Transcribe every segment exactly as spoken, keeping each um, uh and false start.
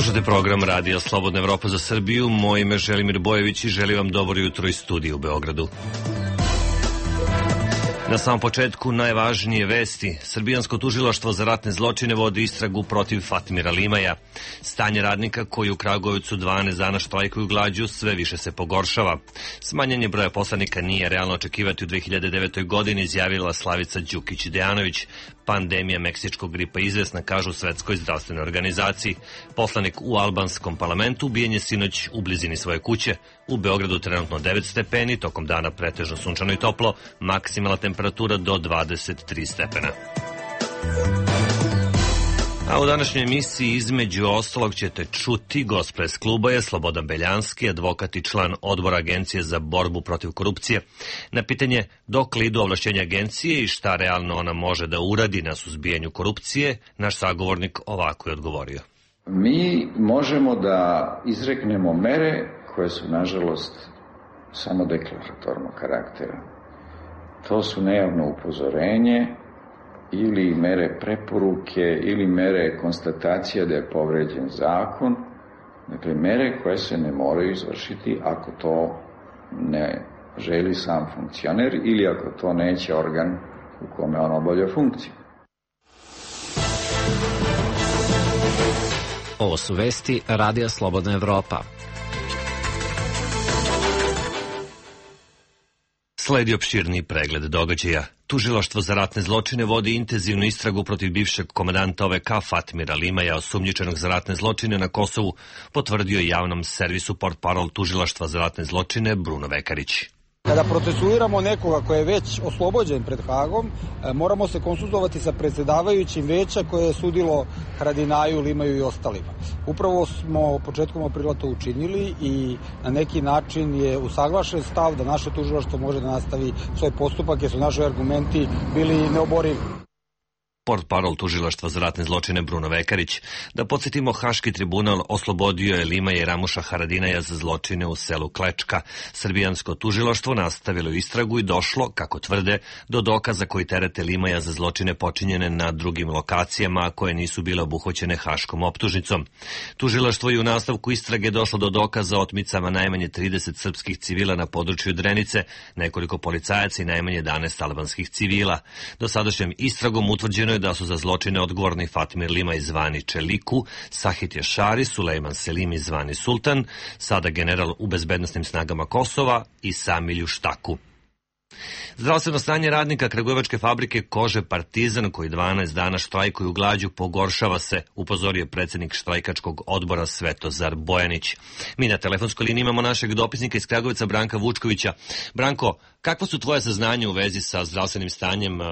Slušate program Radija Slobodna Evropa za Srbiju. Moje ime je Želimir Bojević i želim vam dobro jutro iz studija u Beogradu. Na samom početku najvažnije vesti. Srbijansko tužilaštvo za ratne zločine vodi istragu protiv Fatmira Limaja. Stanje radnika koji u Kragujevcu dvanaest dana štrajkuju glađu sve više se pogoršava. Smanjenje broja poslanika nije realno očekivati u dve hiljade devetoj. godini, izjavila Slavica Đukić-Dejanović. Pandemija meksičkog gripa izvesna, kažu Svetskoj zdravstvenoj organizaciji. Poslanik u albanskom parlamentu ubijen je sinoć u blizini svoje kuće. U Beogradu trenutno devet stepeni, tokom dana pretežno sunčano i toplo, maksimalna temperatura do dvadeset tri stepena. A u današnjoj emisiji između ostalog ćete čuti gospre s kluba je Slobodan Beljanski, advokat i član odbora Agencije za borbu protiv korupcije. Na pitanje dokle idu ovlašćenja agencije i šta realno ona može da uradi na suzbijanju korupcije, naš sagovornik ovako je odgovorio. Mi možemo da izreknemo mere koje su, nažalost, samo deklaratornog karaktera. To su nejavno upozorenje ili mere preporuke ili mere konstatacija da je povređen zakon. Dakle, mere koje se ne moraju izvršiti ako to ne želi sam funkcioner ili ako to neće organ u kome on obavlja funkciju. Ovo su vesti Radija Slobodna Evropa. Sledi opširni pregled događaja. Tužilaštvo za ratne zločine vodi intenzivnu istragu protiv bivšeg komandanta O V K Fatmira Limaja, osumnjičenog za ratne zločine na Kosovu, potvrdio javnom servisu portparol Tužilaštva za ratne zločine Bruno Vekarić. Kada procesuiramo nekoga koji je već oslobođen pred Hagom, moramo se konsultovati sa predsedavajućim veća koje je sudilo Haradinaju, Limaju i ostalima. Upravo smo početkom aprila to učinili i na neki način je usaglašen stav da naše tužilaštvo može da nastavi svoj postupak jer su naši argumenti bili neoborivi. Portparol Tužilaštva za ratne zločine Bruno Vekarić. Da podsjetimo, Haški tribunal oslobodio je Limaja i Ramuša Haradinaja za zločine u selu Klečka. Srbijansko tužilaštvo nastavilo istragu i došlo, kako tvrde, do dokaza koji terete Limaja za zločine počinjene na drugim lokacijama koje nisu bile obuhvaćene haškom optužnicom. Tužilaštvo je u nastavku istrage došlo do dokaza o otmicama najmanje trideset srpskih civila na području Drenice, nekoliko policajaca i najmanje jedanaest albanskih civila. Dosadašnjom istragom utvrđeno je da su za zločine odgovorni Fatmir Limaj zvani Čeliku, Sahit Jašari, Sulejman Selimi zvani Sultan, sada general u bezbednosnim snagama Kosova i Samilju Štaku. Zdravstveno stanje radnika Kragujevačke fabrike kože Partizan, koji dvanaest dana štrajkuju glađu, pogoršava se, upozorio predsjednik štrajkačkog odbora Svetozar Bojanić. Mi na telefonskoj liniji imamo našeg dopisnika iz Kragujevca, Branka Vučkovića. Branko, kakva su tvoje saznanja u vezi sa zdravstvenim stanjem uh,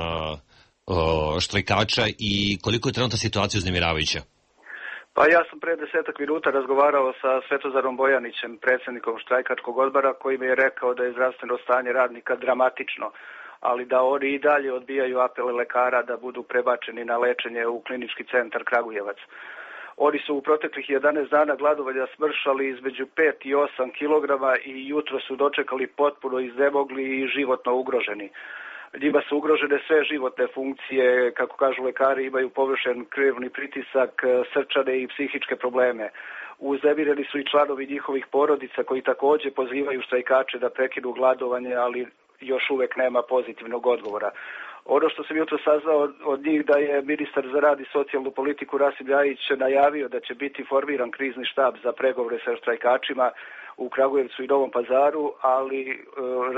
štrajkača i koliko je trenutna situacija uznemiravajuća? Pa ja sam pre desetak minuta razgovarao sa Svetozarom Bojanićem, predsjednikom štrajkačkog odbora, koji mi je rekao da je zdravstveno stanje radnika dramatično, ali da oni i dalje odbijaju apele lekara da budu prebačeni na lečenje u klinički centar Kragujevac. Oni su u proteklih jedanaest dana gladovanja smršali između pet i osam kilograma i jutro su dočekali potpuno iznemogli i životno ugroženi. Njima su ugrožene sve životne funkcije, kako kažu lekari, imaju površen krvni pritisak, srčane i psihičke probleme. Uznemireni su i članovi njihovih porodica koji također pozivaju štrajkače da prekinu gladovanje, ali još uvek nema pozitivnog odgovora. Ono što sam jutro saznao od njih da je ministar za rad i socijalnu politiku Rasim Ljajić najavio da će biti formiran krizni štab za pregovore sa štrajkačima u Kragujevcu i Novom Pazaru, ali e,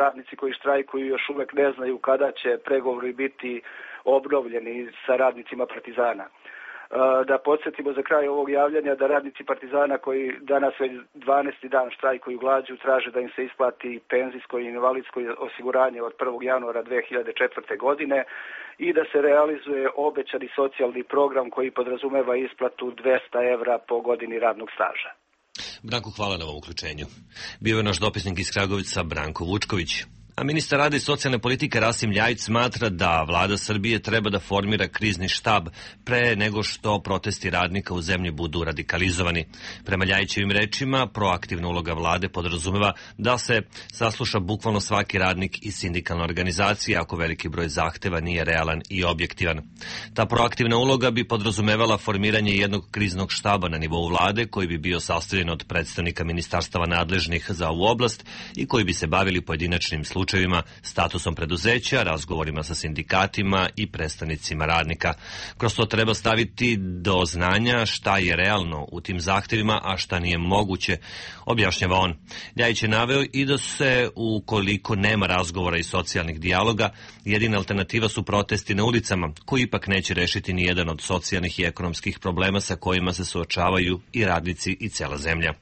radnici koji štrajkuju još uvek ne znaju kada će pregovori biti obnovljeni sa radnicima Partizana. E, da podsjetimo za kraj ovog javljanja da radnici Partizana koji danas već dvanaesti dan štrajkuju glađu traže da im se isplati penzijsko i invalidsko osiguranje od prvog januara dve hiljade četvrte. godine i da se realizuje obećani socijalni program koji podrazumeva isplatu dvesta evra po godini radnog staža. Branko, hvala na ovom uključenju. Bio je naš dopisnik iz Kragujevca Branko Vučković. A ministar rada i socijalne politike Rasim Ljajić smatra da vlada Srbije treba da formira krizni štab pre nego što protesti radnika u zemlji budu radikalizovani. Prema Ljajićevim rečima, proaktivna uloga vlade podrazumeva da se sasluša bukvalno svaki radnik i sindikalna organizacija ako veliki broj zahteva nije realan i objektivan. Ta proaktivna uloga bi podrazumevala formiranje jednog kriznog štaba na nivou vlade koji bi bio sastavljen od predstavnika ministarstava nadležnih za ovu oblast i koji bi se bavili pojedinačnim slučajevima, statusom preduzeća, razgovorima sa sindikatima i predstavnicima radnika. Kroz to treba staviti do znanja šta je realno u tim zahtevima, a šta nije moguće, objašnjava on. Ljajić je naveo i da se, ukoliko nema razgovora i socijalnih dijaloga, jedina alternativa su protesti na ulicama, koji ipak neće rešiti ni jedan od socijalnih i ekonomskih problema sa kojima se suočavaju i radnici i cela zemlja.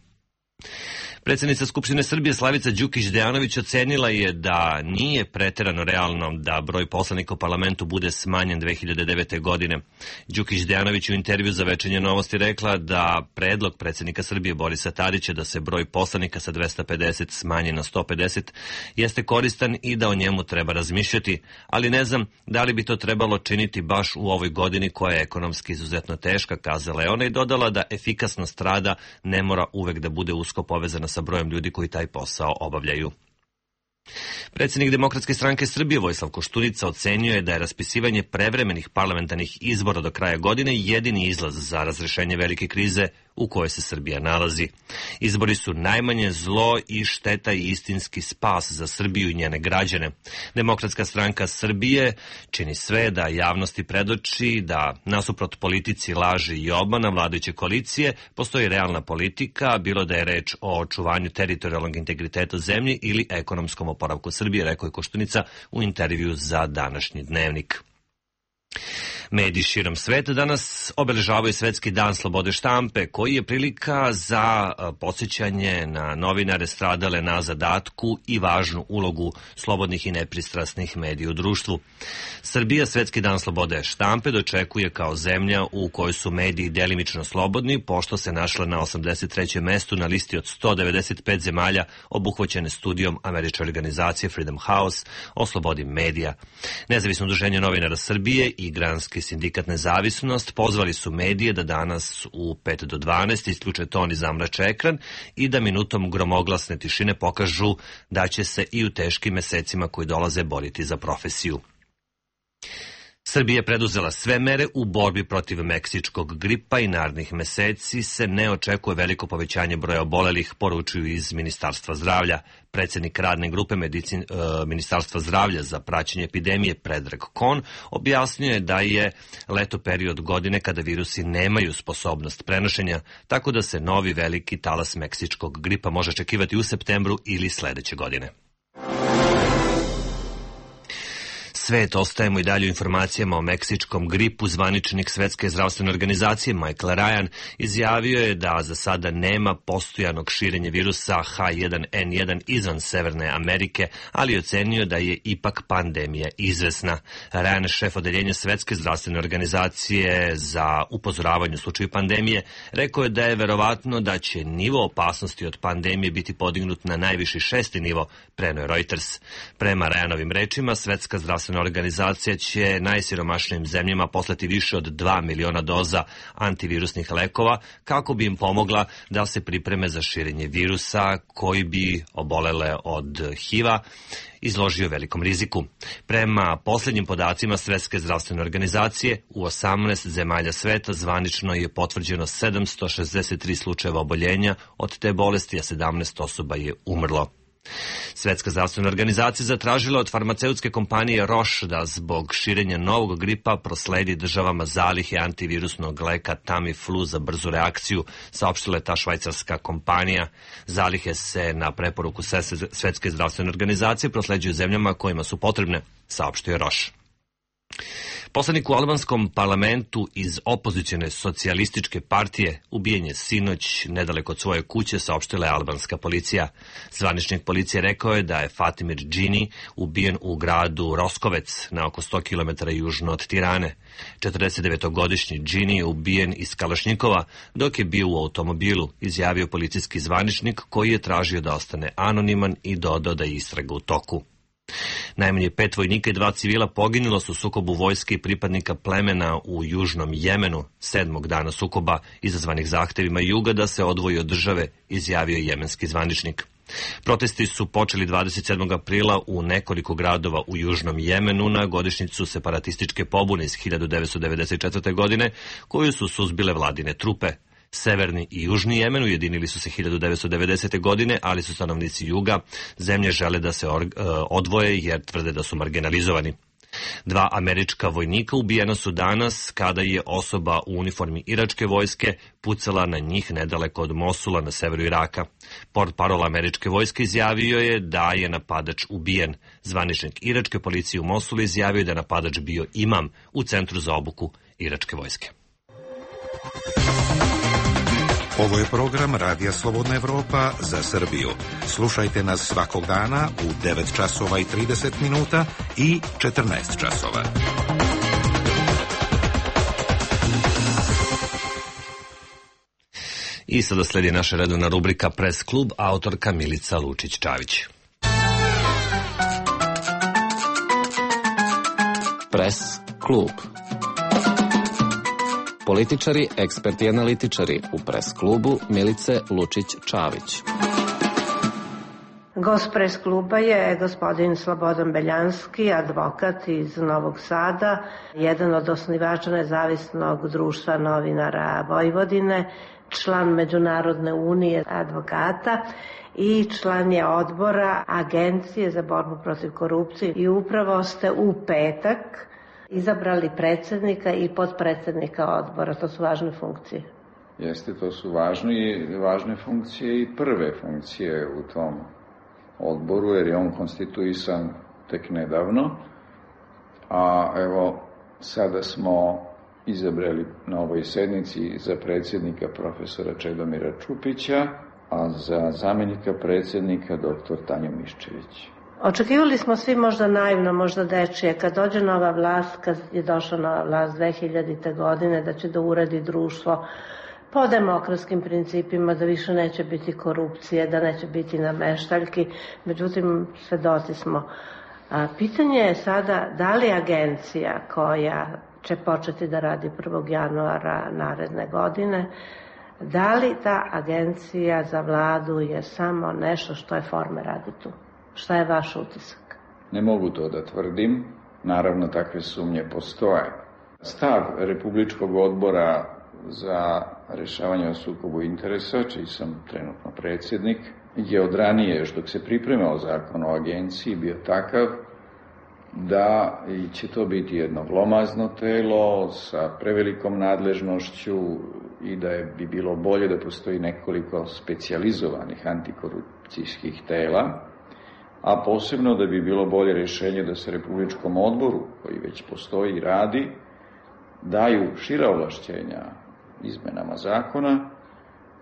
Predsednica Skupštine Srbije Slavica Đukić Dejanović ocenila je da nije preterano realno da broj poslanika u parlamentu bude smanjen dve hiljade devete. godine. Đukić Dejanović u intervju za Večernje novosti rekla da predlog predsednika Srbije Borisa Tadića da se broj poslanika sa dvesta pedeset smanji na sto pedeset jeste koristan i da o njemu treba razmišljati, ali ne znam da li bi to trebalo činiti baš u ovoj godini koja je ekonomski izuzetno teška, kazala je ona i dodala da efikasnost rada ne mora uvek da bude usko povezana sa brojem ljudi koji taj posao obavljaju. Predsednik Demokratske stranke Srbije Vojislav Koštunica ocenio je da je raspisivanje prevremenih parlamentarnih izbora do kraja godine jedini izlaz za razrešenje velike krize u kojoj se Srbija nalazi. Izbori su najmanje zlo i šteta i istinski spas za Srbiju i njene građane. Demokratska stranka Srbije čini sve da javnosti predoči da nasuprot politici laži i obmana vladajuće koalicije postoji realna politika, bilo da je reč o očuvanju teritorijalnog integriteta zemlje ili ekonomskom oporavku Srbije, rekao je Koštunica u intervju za današnji Dnevnik. Mediji širom sveta danas obeležavaju Svetski dan slobode štampe, koji je prilika za podsjećanje na novinare stradale na zadatku i važnu ulogu slobodnih i nepristrasnih medija u društvu. Srbija Svetski dan slobode štampe dočekuje kao zemlja u kojoj su mediji delimično slobodni, pošto se našla na osamdeset trećem mestu na listi od sto devedeset pet zemalja obuhvaćene studijom američke organizacije Freedom House o slobodi medija. Nezavisno udruženje novinara Srbije i Granski sindikat Nezavisnost pozvali su medije da danas u pet do dvanaest isključe ton i zamrače ekran i da minutom gromoglasne tišine pokažu da će se i u teškim mesecima koji dolaze boriti za profesiju. Srbija je preduzela sve mere u borbi protiv meksičkog gripa i narednih meseci se ne očekuje veliko povećanje broja obolelih, poručuju iz Ministarstva zdravlja. Predsednik radne grupe medicin, e, Ministarstva zdravlja za praćenje epidemije Predrag Kon objasnio je da je leto period godine kada virusi nemaju sposobnost prenošenja, tako da se novi veliki talas meksičkog gripa može očekivati u septembru ili sledeće godine. Svet, ostajemo i dalje u informacijama o meksičkom gripu. Zvaničnik Svetske zdravstvene organizacije Michael Ryan izjavio je da za sada nema postojanog širenja virusa H jedan N jedan izvan Severne Amerike, ali ocenio da je ipak pandemija izvesna. Ryan, šef odeljenja Svetske zdravstvene organizacije za upozoravanje u slučaju pandemije, rekao je da je verovatno da će nivo opasnosti od pandemije biti podignut na najviši šesti nivo, preneo je Reuters. Prema Ryanovim rečima, Svetska zdravstvena organizacija će najsiromašnijim zemljama poslati više od dva miliona doza antivirusnih lekova kako bi im pomogla da se pripreme za širenje virusa koji bi obolele od H I V-a izložio velikom riziku. Prema posljednjim podacima Svetske zdravstvene organizacije, u osamnaest zemalja sveta zvanično je potvrđeno sedamsto šezdeset tri slučajeva oboljenja od te bolesti, a sedamnaest osoba je umrlo. Svetska zdravstvena organizacija zatražila od farmaceutske kompanije Roche da zbog širenja novog gripa prosledi državama zalihe antivirusnog leka Tamiflu za brzu reakciju, saopštila je ta švajcarska kompanija. Zalihe se na preporuku Svetske zdravstvene organizacije prosleđuju zemljama kojima su potrebne, saopštio je Roche. Poslanik u albanskom parlamentu iz opozicione socijalističke partije ubijen je sinoć nedaleko od svoje kuće, saopštila je albanska policija. Zvaničnik policije rekao je da je Fatimir Džini ubijen u gradu Roskovec na oko sto kilometara južno od Tirane. četrdesetdevetogodišnji Džini je ubijen iz Kalašnjikova dok je bio u automobilu, izjavio policijski zvaničnik koji je tražio da ostane anoniman i dodao da je istraga u toku. Najmanje pet vojnika i dva civila poginulo su u sukobu vojske i pripadnika plemena u južnom Jemenu, sedmog dana sukoba izazvanih zahtevima juga da se odvoji od države, izjavio jemenski zvaničnik. Protesti su počeli dvadeset sedmog aprila u nekoliko gradova u južnom Jemenu na godišnjicu separatističke pobune iz hiljadu devetsto devedeset četvrte. godine, koju su suzbile vladine trupe. Severni i južni Jemen ujedinili su se hiljadu devetsto devedesete. godine, ali su stanovnici juga zemlje žele da se odvoje jer tvrde da su marginalizovani. Dva američka vojnika ubijena su danas kada je osoba u uniformi iračke vojske pucala na njih nedaleko od Mosula na severu Iraka. Portparol američke vojske izjavio je da je napadač ubijen. Zvaničnik iračke policije u Mosulu izjavio je da je napadač bio imam u centru za obuku iračke vojske. Ovo je program Radija Slobodna Evropa za Srbiju. Slušajte nas svakog dana u devet časova i trideset minuta i četrnaest časova. I sada sledi naša redovna rubrika Press klub, autorka Milica Lučić-Čavić. Press klub. Političari, eksperti i analitičari u Press klubu Milice Lučić-Čavić. Gost Press kluba je gospodin Slobodan Beljanski, advokat iz Novog Sada, jedan od osnivača Nezavisnog društva novinara Vojvodine, član Međunarodne unije advokata i član je odbora Agencije za borbu protiv korupcije i upravo ste u petak izabrali predsjednika i potpredsjednika odbora. To su važne funkcije. Jeste, to su važne, važne funkcije i prve funkcije u tom odboru, jer je on konstituisan tek nedavno. A evo, sada smo izabrali na ovoj sednici za predsjednika profesora Čedomira Čupića, a za zamjenika predsjednika doktor Tanju Miščević. Očekivali smo svi možda naivno, možda dečije, kad dođe nova vlast, kad je došla nova vlast dve hiljadite. godine, da će da uredi društvo po demokratskim principima, da više neće biti korupcije, da neće biti nameštaljki. Međutim, svedoci smo. A, pitanje je sada da li agencija koja će početi da radi prvog januara naredne godine, da li ta agencija za vladu je samo nešto što je forme radi tu? Šta je vaš utisak? Ne mogu to da tvrdim. Naravno, takve sumnje postoje. Stav Republičkog odbora za rešavanje o sukobu interesa, čiji sam trenutno predsjednik, je od ranije, još dok se pripremao zakon o agenciji, bio takav da će to biti jedno glomazno telo sa prevelikom nadležnošću i da je, bi bilo bolje da postoji nekoliko specijalizovanih antikorupcijskih tela, a posebno da bi bilo bolje rješenje da se Republičkom odboru, koji već postoji i radi, daju šira ovlašćenja izmenama zakona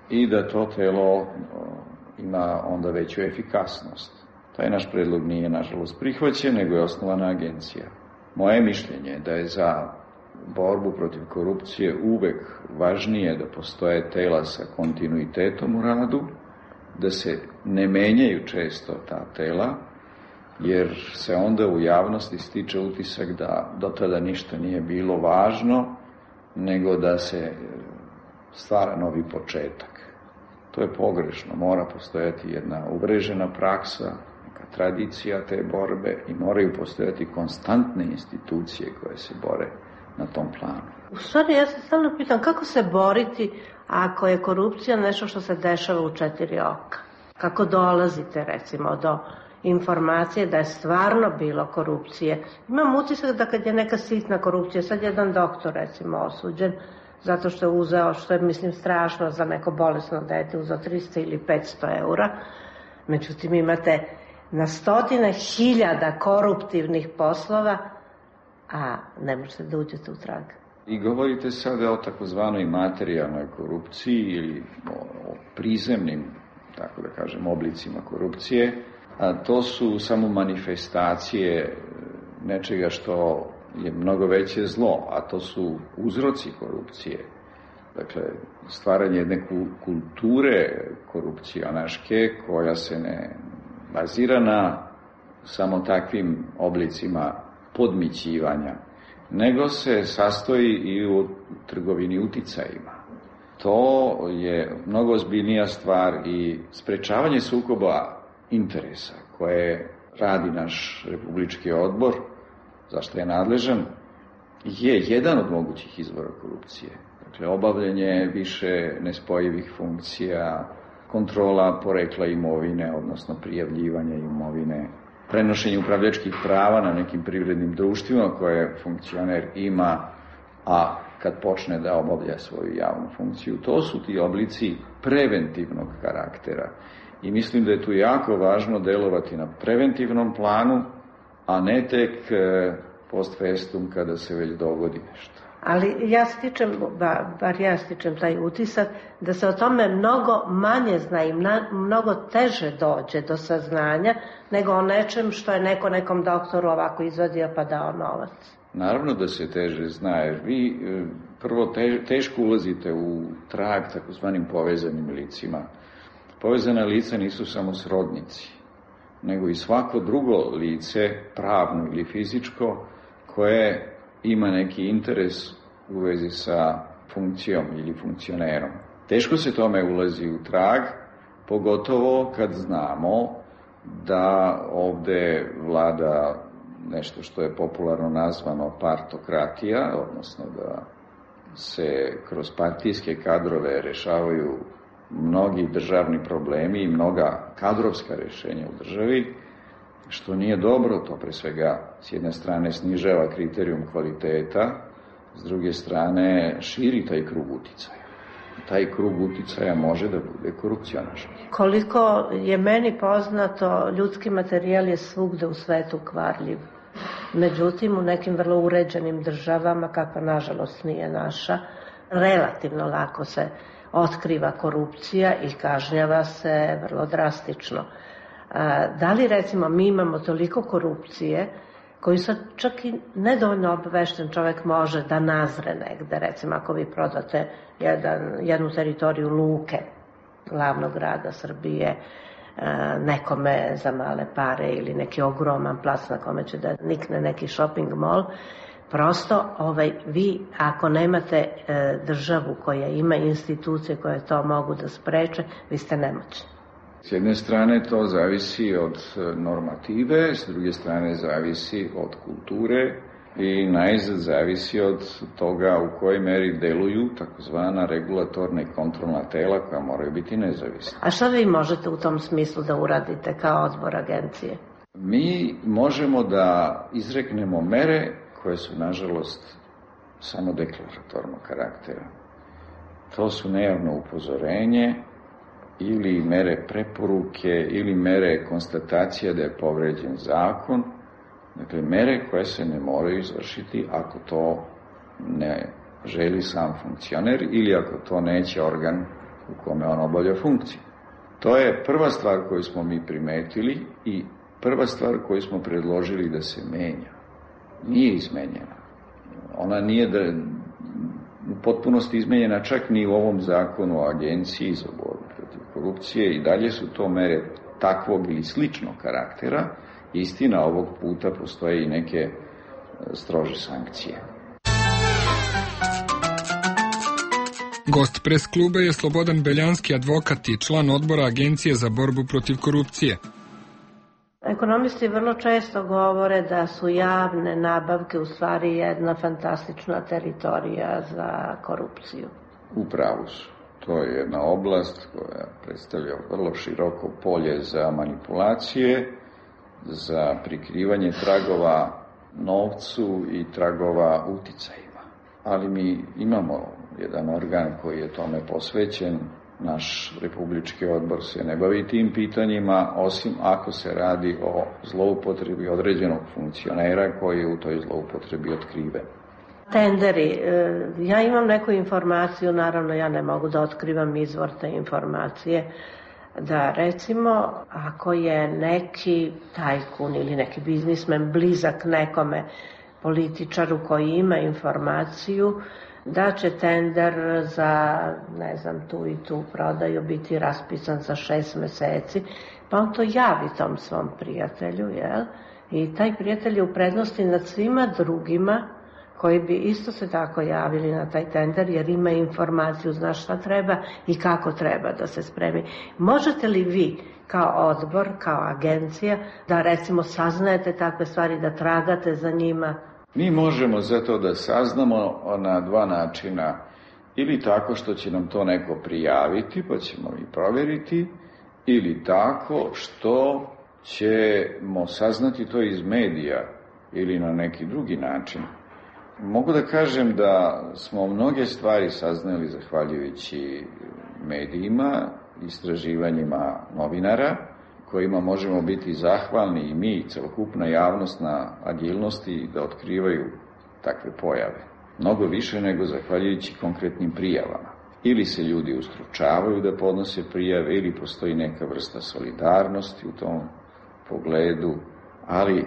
i da to telo ima onda veću efikasnost. Taj naš predlog nije, nažalost, prihvaćen, nego je osnovana agencija. Moje mišljenje je da je za borbu protiv korupcije uvek važnije da postoje tela sa kontinuitetom u radu, da se ne menjaju često ta tela, jer se onda u javnosti stiče utisak da do tada ništa nije bilo važno, nego da se stvara novi početak. To je pogrešno, mora postojati jedna uvrežena praksa, neka tradicija te borbe i moraju postojati konstantne institucije koje se bore na tom planu. U stvari, ja se stalno pitam kako se boriti ako je korupcija nešto što se dešava u četiri oka. Kako dolazite, recimo, do informacije da je stvarno bilo korupcije. Imam utisak da kad je neka sitna korupcija, sad jedan doktor, recimo, osuđen, zato što je uzeo, što je, mislim, strašno za neko bolesno dete, uzeo trista ili petsto eura. Međutim, imate na stotine hiljada koruptivnih poslova, a ne možete da uđete u trag. I govorite sada o takozvanoj materijalnoj korupciji ili o, o prizemnim, tako da kažem, oblicima korupcije. A to su samo manifestacije nečega što je mnogo veće zlo, a to su uzroci korupcije. Dakle, stvaranje jedne kulture korupcionaške koja se ne bazira na samo takvim oblicima podmićivanja, nego se sastoji i u trgovini uticajima. To je mnogo ozbiljnija stvar i sprečavanje sukoba interesa koje radi naš Republički odbor, za što je nadležan, je jedan od mogućih izvora korupcije. Dakle, obavljanje više nespojivih funkcija, kontrola porekla imovine, odnosno prijavljivanja imovine, prenošenje upravljačkih prava na nekim privrednim društvima koje funkcioner ima, a kad počne da obavlja svoju javnu funkciju. To su ti oblici preventivnog karaktera. I mislim da je tu jako važno delovati na preventivnom planu, a ne tek post festum kada se već dogodi nešto. Ali ja stičem, bar ja stičem taj utisak, da se o tome mnogo manje zna i mnogo teže dođe do saznanja nego o nečem što je neko nekom doktoru ovako izvadio pa dao novac. Naravno da se teže zna, jer vi prvo teško ulazite u trag takozvanim povezanim licima. Povezana lica nisu samo srodnici, nego i svako drugo lice, pravno ili fizičko, koje ima neki interes u vezi sa funkcijom ili funkcionerom. Teško se tome ulazi u trag, pogotovo kad znamo da ovde vlada nešto što je popularno nazvano partokratija, odnosno da se kroz partijske kadrove rešavaju mnogi državni problemi i mnoga kadrovska rešenja u državi, što nije dobro. To pre svega s jedne strane snižava kriterijum kvaliteta, s druge strane širi taj krug uticaja. Taj krug uticaja može da bude korupcionaški. Koliko je meni poznato, ljudski materijal je svugde u svetu kvarljiv. Međutim, u nekim vrlo uređenim državama, kakva nažalost nije naša, relativno lako se otkriva korupcija i kažnjava se vrlo drastično. Da li, recimo, mi imamo toliko korupcije koju sad čak i nedovoljno obavešten čovek može da nazre negde, recimo ako vi prodate jedan, jednu teritoriju luke glavnog grada Srbije nekome za male pare ili neki ogroman plac na kome će da nikne neki shopping mall, prosto ovaj, vi ako nemate e, državu koja ima institucije koje to mogu da spreče, vi ste nemoćni. S jedne strane to zavisi od normative, s druge strane zavisi od kulture i najzad zavisi od toga u kojoj meri deluju takozvana regulatorna i kontrolna tela koja moraju biti nezavisna. A šta vi možete u tom smislu da uradite kao odbor agencije? Mi možemo da izreknemo mere koje su, nažalost, samo deklaratornog karaktera. To su nejavno upozorenje ili mere preporuke ili mere konstatacija da je povređen zakon. Dakle, mere koje se ne moraju izvršiti ako to ne želi sam funkcioner ili ako to neće organ u kome on obavlja funkciju. To je prva stvar koju smo mi primetili i prva stvar koju smo predložili da se menja. Nije izmenjena. Ona nije da, u potpunosti izmenjena čak ni u ovom zakonu o agenciji za borbu protiv korupcije i dalje su to mere takvog ili sličnog karaktera. Istina, ovog puta postoje i neke strože sankcije. Gost pres kluba je Slobodan Beljanski, advokat i član odbora Agencije za borbu protiv korupcije. Ekonomisti vrlo često govore da su javne nabavke u stvari jedna fantastična teritorija za korupciju. U pravu su. To je jedna oblast koja predstavlja vrlo široko polje za manipulacije, za prikrivanje tragova novcu i tragova uticajima. Ali mi imamo jedan organ koji je tome posvećen. Naš Republički odbor se ne bavi tim pitanjima, osim ako se radi o zloupotrebi određenog funkcionera koji je u toj zloupotrebi otkriven. Tenderi. Ja imam neku informaciju, naravno ja ne mogu da otkrivam izvor te informacije, da recimo ako je neki tajkun ili neki biznismen blizak nekome političaru koji ima informaciju da će tender za, ne znam, tu i tu prodaju biti raspisan za šest meseci, pa on to javi tom svom prijatelju, jel? I taj prijatelj je u prednosti nad svima drugima koji bi isto se tako javili na taj tender, jer ima informaciju, zna šta treba i kako treba da se spremi. Možete li vi kao odbor, kao agencija, da recimo saznajete takve stvari, da tragate za njima? Mi možemo za to da saznamo na dva načina. Ili tako što će nam to neko prijaviti, pa ćemo i provjeriti, ili tako što ćemo saznati to iz medija ili na neki drugi način. Mogu da kažem da smo mnoge stvari saznali zahvaljujući medijima, istraživanjima novinara, kojima možemo biti zahvalni i mi, celokupna javnost, na agilnosti da otkrivaju takve pojave. Mnogo više nego zahvaljujući konkretnim prijavama. Ili se ljudi ustručavaju da podnose prijave, ili postoji neka vrsta solidarnosti u tom pogledu, ali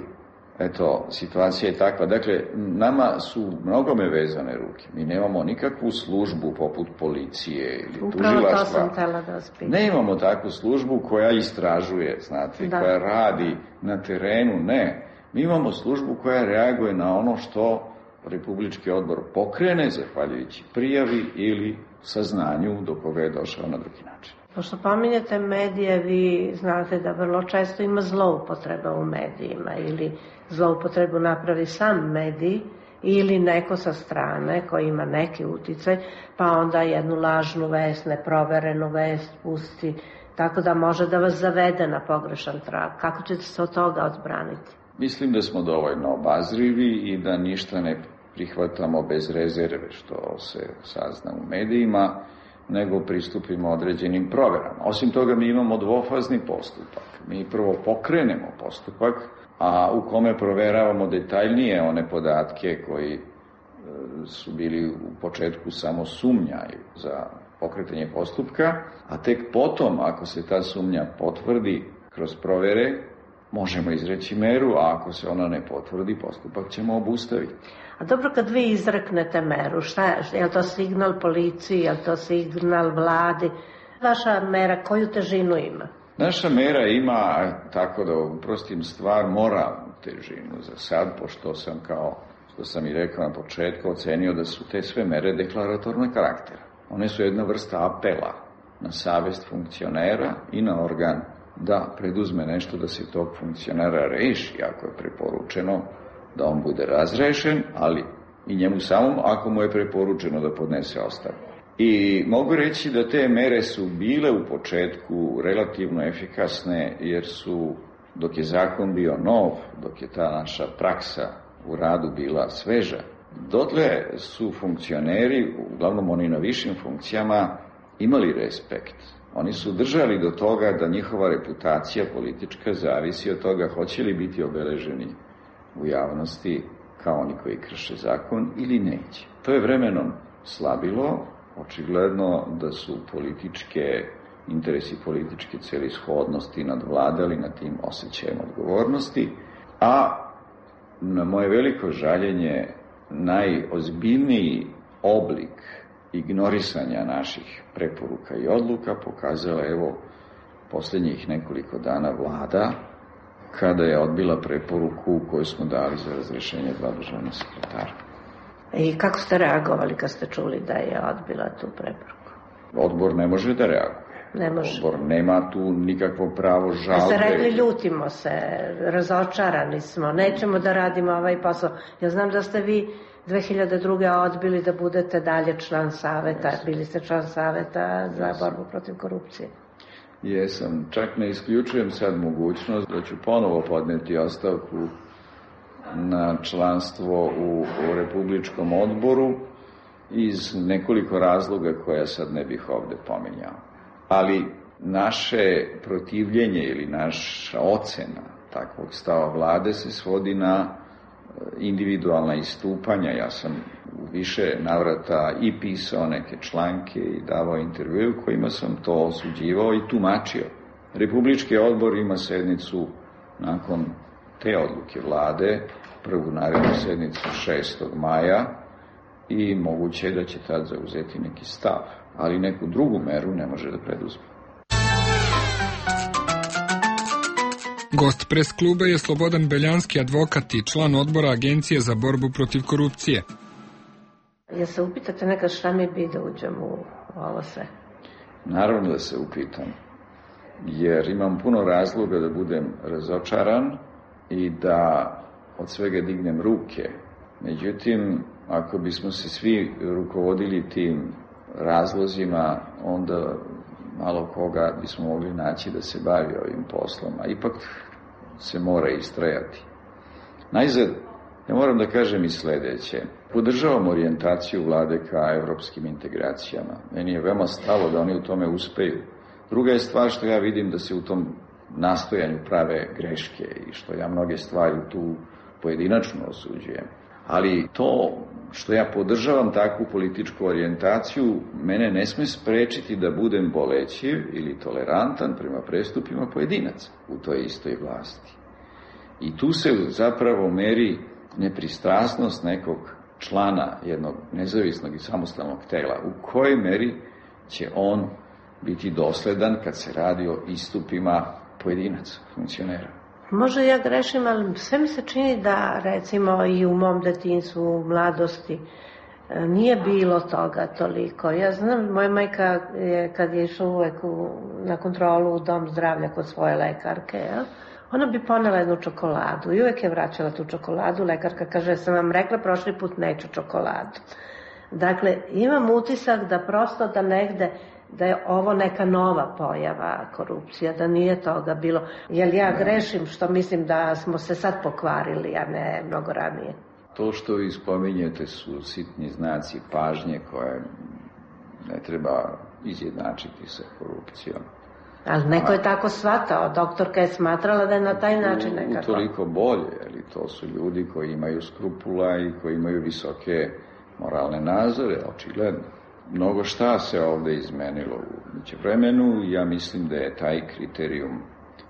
eto, situacija je takva. Dakle, nama su mnogome vezane ruke. Mi nemamo nikakvu službu poput policije ili tužilaštva. Upravo to sam htela da vas pitam. Ne imamo takvu službu koja istražuje, znate, da. koja radi na terenu, ne. Mi imamo službu koja reaguje na ono što Republički odbor pokrene, zahvaljujući prijavi ili saznanju do koga je došao na drugi način. Pošto pominjete medije, vi znate da vrlo često ima zloupotreba u medijima, ili zloupotrebu napravi sam medij ili neko sa strane koji ima neki uticaj, pa onda jednu lažnu vest, neproverenu vest pusti, tako da može da vas zavede na pogrešan trag. Kako ćete se od toga odbraniti? Mislim da smo dovoljno obazrivi i da ništa ne prihvatamo bez rezerve što se sazna u medijima, nego pristupimo određenim proverama. Osim toga, mi imamo dvofazni postupak. Mi prvo pokrenemo postupak, a u kome proveravamo detaljnije one podatke koji su bili u početku samo sumnjaju za pokretanje postupka, a tek potom, ako se ta sumnja potvrdi kroz provere, možemo izreći meru, a ako se ona ne potvrdi, postupak ćemo obustaviti. A dobro, kad vi izreknete meru, šta je? Je li to signal policiji, je li to signal vladi? Vaša mera koju težinu ima? Naša mera ima, tako da uprostim stvar, moralnu težinu za sad, pošto sam, kao što sam i rekao na početku, ocenio da su te sve mere deklaratorne karaktera. One su jedna vrsta apela na savest funkcionera i na organ da preduzme nešto da se tog funkcionera reši, ako je preporučeno da on bude razrešen, ali i njemu samom ako mu je preporučeno da podnese ostavku. I mogu reći da te mere su bile u početku relativno efikasne, jer su, dok je zakon bio nov, dok je ta naša praksa u radu bila sveža, dotle su funkcioneri, uglavnom oni na višim funkcijama, imali respekt. Oni su držali do toga da njihova reputacija politička zavisi od toga hoće li biti obeleženi u javnosti kao oni koji krše zakon ili neće. To je vremenom slabilo, očigledno da su političke interesi, političke celishodnosti nadvladali na tim osjećajem odgovornosti, a na moje veliko žaljenje najozbiljniji oblik ignorisanja naših preporuka i odluka pokazala evo posljednjih nekoliko dana vlada, kada je odbila preporuku koju smo dali za razrešenje dva državna sekretara. I kako ste reagovali kad ste čuli da je odbila tu preporuku? Odbor ne može da reaguje. Ne može. Odbor nema tu nikakvo pravo žalbe. Da ste rekli ljutimo se, razočarani smo, nećemo da radimo ovaj posao. Ja znam da ste vi dve hiljade druge. odbili da budete dalje član saveta, Jesam. bili ste član saveta za Jesam. borbu protiv korupcije. Jesam, čak ne isključujem sad mogućnost da ću ponovo podneti ostavku na članstvo u, u Republičkom odboru iz nekoliko razloga koja sad ne bih ovde pominjao. Ali naše protivljenje ili naša ocena takvog stava vlade se svodi na individualna istupanja. Ja sam u više navrata i pisao neke članke i davao intervju kojima sam to osuđivao i tumačio. Republički odbor ima sednicu nakon te odluke vlade, prvu narednu sednicu šestog maja, i moguće je da će tad zauzeti neki stav, ali neku drugu meru ne može da preduzme. Gost pres kluba je Slobodan Beljanski, advokat i član odbora Agencije za borbu protiv korupcije. Ja se upitate nekad šta mi bi da uđem u ovo sve? Naravno da se upitam, jer imam puno razloga da budem razočaran i da od svega dignem ruke. Međutim, ako bismo se svi rukovodili tim razlozima, onda malo koga bismo mogli naći da se bavi ovim poslom, a ipak se mora istrajati. Najzad, ja moram da kažem i sledeće. Podržavam orijentaciju vlade ka evropskim integracijama. Meni je veoma stalo da oni u tome uspeju. Druga je stvar što ja vidim da se u tom nastojanju prave greške i što ja mnoge stvari tu pojedinačno osuđujem. Ali to što ja podržavam takvu političku orijentaciju, mene ne sme sprečiti da budem bolećiv ili tolerantan prema prestupima pojedinaca u toj istoj vlasti. I tu se zapravo meri nepristrasnost nekog člana jednog nezavisnog i samostalnog tela, u kojoj meri će on biti dosledan kad se radi o istupima pojedinaca, funkcionera. Možda ja grešim, ali sve mi se čini da, recimo, i u mom detinjstvu, u mladosti, nije bilo toga toliko. Ja znam, moja majka je, kad je išla uvek u, na kontrolu u dom zdravlja kod svoje lekarke, ja, ona bi ponela jednu čokoladu i uvek je vraćala tu čokoladu. Lekarka kaže, sam vam rekla prošli put neću čokoladu. Dakle, imam utisak da prosto da negde, da je ovo neka nova pojava korupcija, da nije toga bilo. Jel ja grešim što mislim da smo se sad pokvarili, a ne mnogo ranije? To što vi spominjete su sitni znaci pažnje koje ne treba izjednačiti sa korupcijom. Ali neko je tako shvatao, doktorka je smatrala da je na taj način nekako. Utoliko bolje, ali to su ljudi koji imaju skrupula i koji imaju visoke moralne nazore, očigledno. Mnogo šta se ovde izmenilo u međuvremenu i ja mislim da je taj kriterijum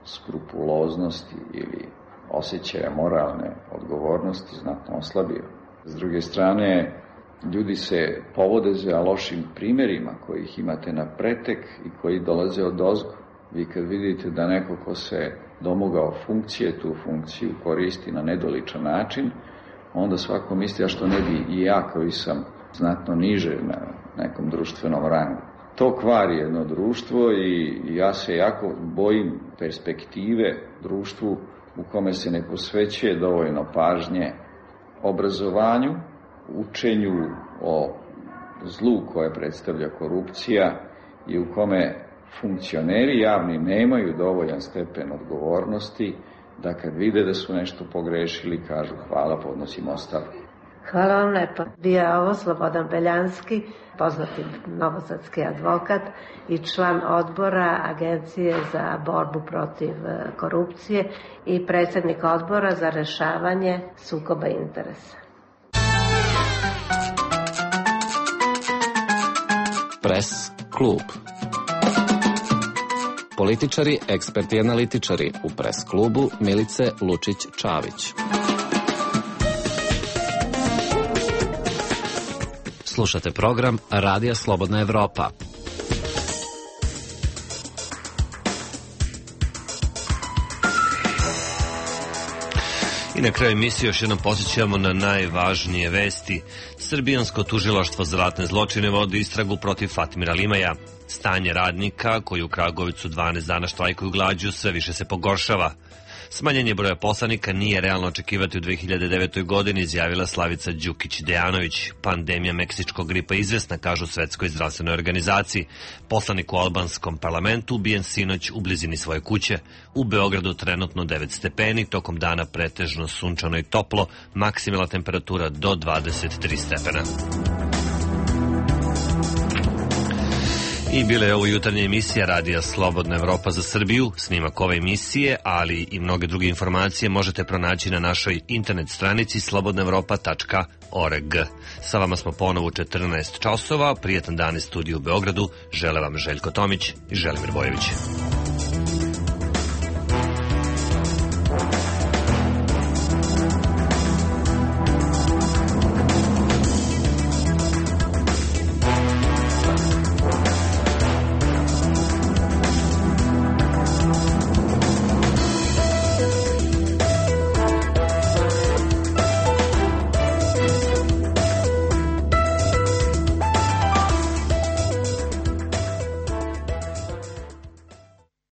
skrupuloznosti ili osjećaja moralne odgovornosti znatno oslabio. S druge strane, ljudi se povode za lošim primerima kojih imate na pretek i koji dolaze od ozgo. Vi kad vidite da neko ko se domogao funkcije, tu funkciju koristi na nedoličan način, onda svako misli, a što ne bi i ja koji sam znatno niže na nekom društvenom rangu. To kvari jedno društvo i ja se jako bojim perspektive društvu u kome se ne posvećuje dovoljno pažnje obrazovanju, učenju o zlu koje predstavlja korupcija i u kome funkcioneri javni nemaju dovoljan stepen odgovornosti da kad vide da su nešto pogrešili kažu hvala, podnosim ostavku. Hvala vam lepo. Bio je ovo Slobodan Beljanski, poznati novosadski advokat i član odbora Agencije za borbu protiv korupcije i predsjednik odbora za rešavanje sukoba interesa. Pres klub. Političari, eksperti i analitičari u Pres klubu Milice Lučić-Čavić. Slušate program Radija Slobodna Evropa. I na kraju emisije još jednom posjećamo na najvažnije vesti. Srbijansko tužilaštvo za ratne zločine vodi istragu protiv Fatmira Limaja. Stanje radnika koji u Kragujevcu dvanaest dana štrajkuju glađu sve više se pogoršava. Smanjenje broja poslanika nije realno očekivati u dve hiljade devetoj. godini, izjavila Slavica Đukić-Dejanović. Pandemija meksičkog gripa izvesna, kažu Svetskoj zdravstvenoj organizaciji. Poslanik u albanskom parlamentu ubijen sinoć u blizini svoje kuće. U Beogradu trenutno devet stepeni, tokom dana pretežno sunčano i toplo, maksimalna temperatura do dvadeset tri stepena. I bila je ovo jutarnja emisija Radija Slobodna Evropa za Srbiju. Snimak ove emisije, ali i mnoge druge informacije možete pronaći na našoj internet stranici slobodna evropa tačka org. Sa vama smo ponovo u četrnaest časova. Prijetan dan iz studiju u Beogradu. Žele vam Željko Tomić i Želimir Bojević.